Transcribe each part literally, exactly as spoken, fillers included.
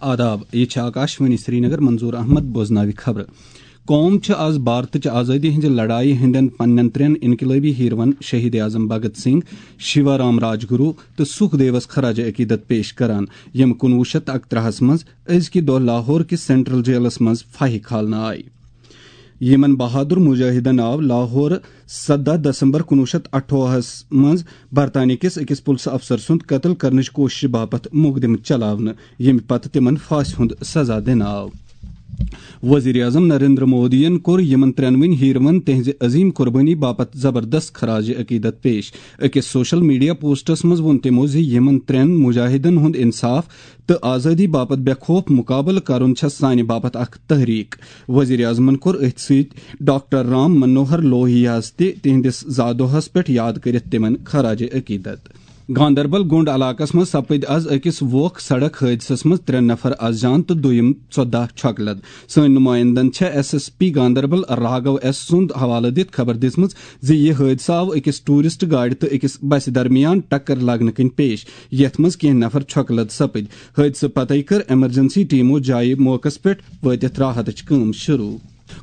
آداب، یہِ چھِ آکاشوانی سرینگر، منظور احمد بوزناوِ خبرٕ۔ قوم چھِ آز بھارتٕچ آزٲدی ہٕنٛزِ لڑایہِ ہٕنٛدٮ۪ن پننٮ۪ن ترٛٮ۪ن انقلٲبی ہیروَن شہید اعظم بھگت سنگھ، شیوا رام راجگرو تہٕ سکھ دیوس خراج عقیدت پیش کران، یِم کُنوُہ شیٚتھ تہٕ اَکترٛہَس منٛز أزکہِ دۄہ لاہور کِس سینٹرل جیلس منٛز پھاہہِ کھالنہٕ آیہِ۔ یِمن بہادر مجاہدن آو لاہور سدہ دسمبر کُنوُہ شیٚتھ اَٹھووُہَس منٛز برطانیہ کِس أکِس پُلسہٕ افسر سُنٛد قتل کرنٕچ کوٗششہِ باپتھ مقدمہٕ چلاونہٕ، ییٚمہِ پتہٕ تِمن پھاسہِ ہُنٛد سزا دِنہٕ آو۔ وزیر اعظم نریندر مودیَن کوٚر یِمن ترٛٮ۪نوٕنی ہیروَن تِہنٛزِ عظیم قربٲنی باپتھ زبردست خراج عقیدت پیش۔ أکِس سوشل میڈیا پوسٹس منٛز ووٚن تِمو زِ یِمن ترٛٮ۪ن مجاہدن ہُنٛد انصاف تہٕ آزٲدی باپتھ بے خوف مقابلہٕ کرُن چھےٚ سانہِ باپتھ اکھ تحریک۔ وزیر اعظمن کوٚر أتھۍ سۭتۍ ڈاکٹر رام منوہر لوہیاہس تہِ تِہنٛدِس زا دۄہس پٮ۪ٹھ یاد کٔرِتھ تِمن خراج عقیدت۔ گاندربل گونڈ علاقس منٛز سپٕدۍ از أکِس ووکھ سڑک حٲدثس منٛز ترٛےٚ نفر از جان تہٕ دوٚیِم ژۄداہ چھۄکہٕ لد۔ سٲنۍ نمائندن چھےٚ S S P Ganderbal Raghu S سُنٛد حوالہٕ دِتھ خبر دِژمٕژ زِ یہِ حٲدثہٕ آو أکِس ٹوٗرسٹ گاڑِ تہٕ أکِس بسہِ درمیان ٹکر لگنہٕ کِنۍ پیش، یتھ منٛز کینٛہہ نفر چھۄکہٕ لد سپٕدۍ۔ حٲدثہٕ پتے کٔر ایمرجنسی ٹیمو جایہِ موقعس پٮ۪ٹھ وٲتِتھ راحتٕچ کٲم شروع۔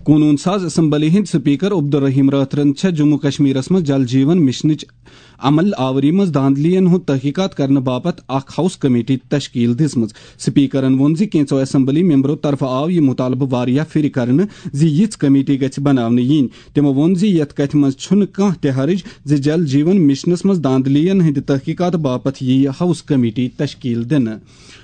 قونوٗن ساز اسمبلی ہٕنٛدۍ سپیکر عبدالرحیم رٲتھرن چھےٚ جموں کشمیرس منٛز جل جیون مشنٕچ عمل آوری منٛز دھاندلیَن ہُنٛد تحقیقات کرنہٕ باپتھ اکھ ہاؤس کمیٹی تشکیل دِژمٕژ۔ سپیکرن ووٚن زِ کینٛژو اسمبلی ممبرو طرفہٕ آو یہِ مطالبہٕ واریاہ پھِرِ کرنہٕ زِ یِژھ کمیٹی گژھِ بناونہٕ یِنۍ۔ تِمو ووٚن زِ یتھ کتھِ منٛز چھُنہٕ کانٛہہ تہِ حرج زِ جل جیون مشنس منٛز دھاندلیَن ہٕنٛدِ تحقیقات باپتھ یِیہِ ہاؤس کمیٹی تشکیل دِنہٕ۔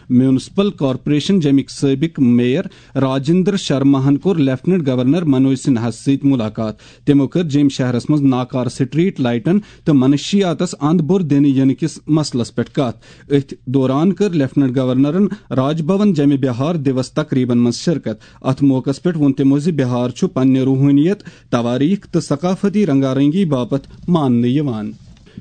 میونسپل کارپوریشن جمِکۍ سٲبق میئر راجندر شرماہن کوٚر لیفٹیننٹ گورنر منوج سنہاہس سۭتۍ ملاقات۔ تِمو کٔر جیٚمۍ شہرس منٛز ناکارٕ سٹریٹ لائٹن تہٕ منشیاتس اند بوٚر دِنہٕ ینہٕ کِس مسلس پٮ۪ٹھ کتھ۔ أتھۍ دوران کٔر لیفٹیننٹ گورنرن راج بھون جیٚمہِ بہار دیوس تقریبن منٛز شرکت۔ اتھ موقعس پٮ۪ٹھ ووٚن تِمو زِ بہار چھُ پننہِ روحٲنیت، تواریخ تہٕ ثقافتی رنگا رنگی باپتھ ماننہٕ یِوان۔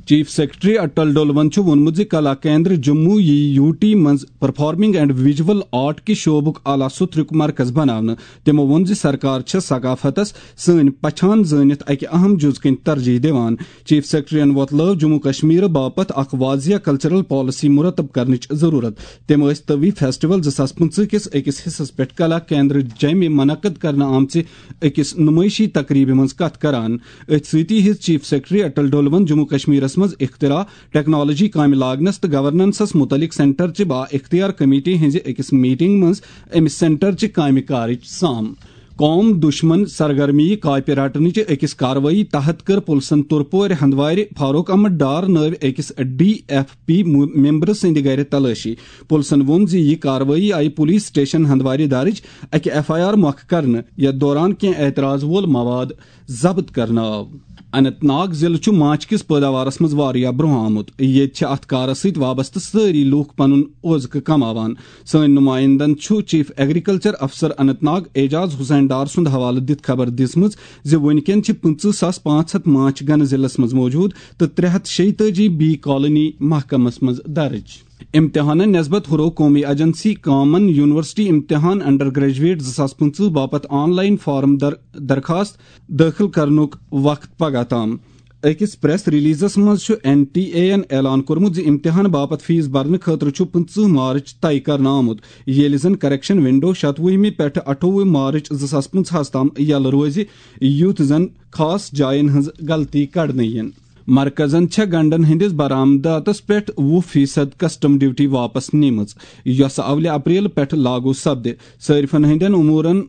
چیف سیکرٹری اٹل ڈولون چھُ ووٚنمُت زِ کلا کیندر جموں یی یو ٹی منٛز پرفارمنگ اینڈ ویژول آرٹ کہِ شعبُک اعلیٰ سُتھرُک مرکز بناونہٕ۔ تِمو ووٚن زِ سرکار چھےٚ ثقافتس سٲنۍ پہچان زٲنِتھ اکہِ اہم جُز کٕنۍ ترجیح دِوان۔ چیف سیکرٹریَن وۄتلٲو جموں کشمیر باپتھ اکھ واضح کلچرل پالیسی مرتب کرنٕچ ضرورت۔ تِم ٲسۍ طوی فیسٹیول زٕ ساس پٕنٛژٕہ کِس أکِس حصس پٮ۪ٹھ کلا کیندر جیمہِ منعقد کرنہٕ آمژِ أکِس نمٲیشی تقریبہِ منٛز کتھ کران۔ أتھۍ سۭتی ہیٚژ چیف سیکرٹری اٹل ڈولون جموں کشمیرس منٛز اختراع، ٹیکنالوجی کامہِ لاگنس تہٕ گورننسس متعلق سینٹر چہِ با اختیار کمیٹی ہٕنٛزِ أکِس میٹنگ منٛز أمِس سینٹر چہِ کامہِ کارٕچ سام۔ قوم دشمن سرگرمی کاپہِ رٹنٕچہِ أکِس کاروٲیی تحت کٔر پُلسن تُرپورِ ہندوارِ فاروق احمد ڈار نٲوۍ أکِس ڈی ایف پی مو-، ممبرٕ سٕنٛدِ گرِ تلٲشی۔ پُلسن ووٚن زِ یہِ کاروٲیی آیہِ پُلیس سٹیشن ہندوارِ درٕج اکہِ ایف آئی آر مۄکھٕ کرنہٕ، یتھ دوران کینٛہہ اعتراض وول مواد ضبط کرنہٕ آو۔ اننت ناگ ضلعہٕ چھُ ماچھ کِس پٲداوارس منٛز واریاہ برونٛہہ آمُت۔ ییٚتہِ چھِ اتھ کارس سۭتۍ وابستہٕ سٲری لوٗکھ پنُن اوزکہٕ کماوان۔ سٲنۍ نمائندن چھُ چیف ایگریکلچر افسر اننت ناگ اعجاز حسین ڈار سُنٛد حوالہٕ دِتھ خبر دِژمٕژ زِ وُنکٮ۪ن چھِ پٕنٛژٕہ ساس پانٛژھ ہتھ ماچھ گنہٕ ضلعس منٛز موجود تہٕ ترٛےٚ ہتھ شیٚیہِ تٲجی بی کالونی محکمس منٛز درج۔ امتحانن نسبت ہُرو قومی ایجنسی کامن یونیورسٹی امتحان انڈر گریجویٹ زٕ ساس پٕنٛژٕہ باپتھ آن لائن فارم در-، درخواست دٲخل کرنُک وقت پگاہ تام۔ أکِس پریس ریلیزس منٛز چھُ این ٹی اے یَن اعلان کوٚرمُت زِ امتحان باپتھ فیس برنہٕ خٲطرٕ چھُ پٕنٛژٕہ مارچ طے کرنہٕ آمُت، ییٚلہِ زن کریکشن ونڈو شتوُہمہِ پٮ۪ٹھٕ اَٹھووُہ مارچ زٕ ساس پٕنٛژٕہَس تام یَلہٕ روزِ، یُتھ زن خاص جاین ہٕنٛز غلطی کڑنہٕ یِن۔ مرکزن چھےٚ گنڈن ہٕنٛدِس برآمداتس پٮ۪ٹھ وُہ فیصد کسٹم ڈیوٹی واپس نِمٕژ، یۄسہٕ اولہِ اپریل پٮ۪ٹھ لاگو سپدِ۔ صٲرفن ہٕنٛدٮ۪ن امورن،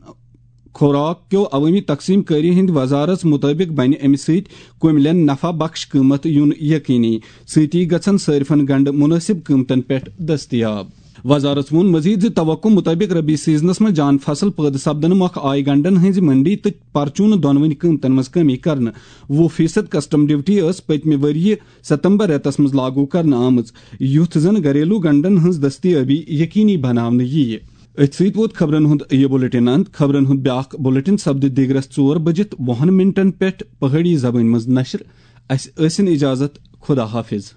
خوراک کیو عوٲمی تقسیم کٲری ہٕنٛدِ وزارت مُطٲبِق بنہِ امہِ سۭتۍ کُملٮ۪ن نفع بخش قۭمتھ یُن یقینی۔ سۭتی گژھن صٲرفن گنڈٕ مُنٲسِب قۭمتن پٮ۪ٹھ دٔستیاب۔ وزارت ووٚن مزید زِ توقع مُطٲبِق ربی سیزنس منٛز جان فصل پٲدٕ سپدنہٕ مۄکھٕ آیہِ گنڈن ہٕنٛزِ منڈی تہٕ پرچوٗنہٕ دۄنوٕنی قۭمتن منٛز کمی کرنہٕ۔ وُہ فیصد کسٹم ڈیوٹی ٲس پٔتمہِ ؤرۍ یہِ ستمبر رٮ۪تس منٛز لاگو کرنہٕ آمٕژ، یُتھ زن گھریلو گنڈن ہٕنٛز دٔستیٲبی یقینی بناونہٕ یِیہِ۔ أتھۍ سۭتۍ ووت خبرن ہُنٛد یہِ بُلٹن اند۔ خبرن ہُنٛد بیٛاکھ بُلٹن سپدِ دِگرس ژور بجِتھ وُہن منٹن پٮ۪ٹھ پہٲڑی زبٲنۍ منٛز نشر۔ اسہِ ٲسِن اجازت۔ خدا حافظ۔